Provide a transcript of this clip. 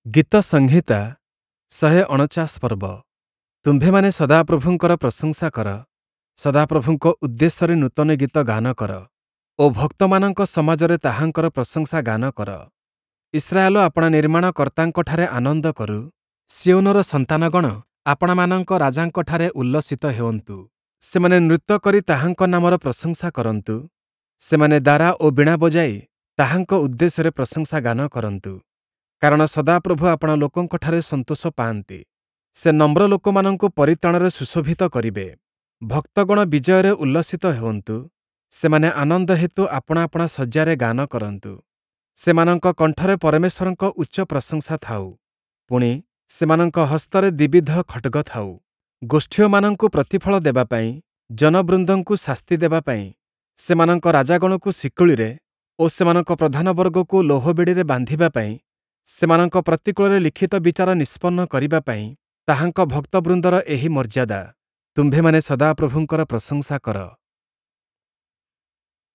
ଗୀତସଂହିତା 149 ପର୍ବ। ତୁମ୍ଭେମାନେ ସଦାପ୍ରଭୁଙ୍କର ପ୍ରଶଂସା କର, ସଦାପ୍ରଭୁଙ୍କ ଉଦ୍ଦେଶ୍ୟରେ ନୂତନ ଗୀତ ଗାନ କର ଓ ଭକ୍ତମାନଙ୍କ ସମାଜରେ ତାହାଙ୍କର ପ୍ରଶଂସା ଗାନ କର। ଇସ୍ରାଏଲ ଆପଣା ନିର୍ମାଣକର୍ତ୍ତାଙ୍କଠାରେ ଆନନ୍ଦ କରୁ, ସିୟୋନର ସନ୍ତାନଗଣ ଆପଣାମାନଙ୍କ ରାଜାଙ୍କଠାରେ ଉଲ୍ଲସିତ ହେଉନ୍ତୁ। ସେମାନେ ନୃତ୍ୟ କରି ତାହାଙ୍କ ନାମର ପ୍ରଶଂସା କରନ୍ତୁ, ସେମାନେ ଦାରା ଓ ବୀଣା ବଜାଇ ତାହାଙ୍କ ଉଦ୍ଦେଶ୍ୟରେ ପ୍ରଶଂସା ଗାନ କରନ୍ତୁ। କାରଣ ସଦାପ୍ରଭୁ ଆପଣା ଲୋକଙ୍କଠାରେ ସନ୍ତୋଷ ପାଆନ୍ତି, ସେ ନମ୍ର ଲୋକମାନଙ୍କୁ ପରିତ୍ରାଣରେ ସୁଶୋଭିତ କରିବେ। ଭକ୍ତଗଣ ବିଜୟରେ ଉଲ୍ଲସିତ ହେଉନ୍ତୁ, ସେମାନେ ଆନନ୍ଦ ହେତୁ ଆପଣା ଆପଣା ଶଯ୍ୟାରେ ଗାନ କରନ୍ତୁ। ସେମାନଙ୍କ କଣ୍ଠରେ ପରମେଶ୍ୱରଙ୍କ ଉଚ୍ଚ ପ୍ରଶଂସା ଥାଉ, ପୁଣି ସେମାନଙ୍କ ହସ୍ତରେ ଦ୍ୱିବିଧ ଖଡ଼୍ଗ ଥାଉ। ଗୋଷ୍ଠୀୟମାନଙ୍କୁ ପ୍ରତିଫଳ ଦେବା ପାଇଁ, ଜନବୃନ୍ଦଙ୍କୁ ଶାସ୍ତି ଦେବା ପାଇଁ, ସେମାନଙ୍କ ରାଜାଗଣକୁ ଶିକୁଳିରେ ଓ ସେମାନଙ୍କ ପ୍ରଧାନବର୍ଗକୁ ଲୌହବେଡ଼ିରେ ବାନ୍ଧିବା ପାଇଁ, ସେମାନଙ୍କ ପ୍ରତିକୂଳରେ ଲିଖିତ ବିଚାର ନିଷ୍ପନ୍ନ କରିବା ପାଇଁ ତାହାଙ୍କ ଭକ୍ତବୃନ୍ଦର ଏହି ମର୍ଯ୍ୟାଦା। ତୁମ୍ଭେମାନେ ସଦାପ୍ରଭୁଙ୍କର ପ୍ରଶଂସା କର।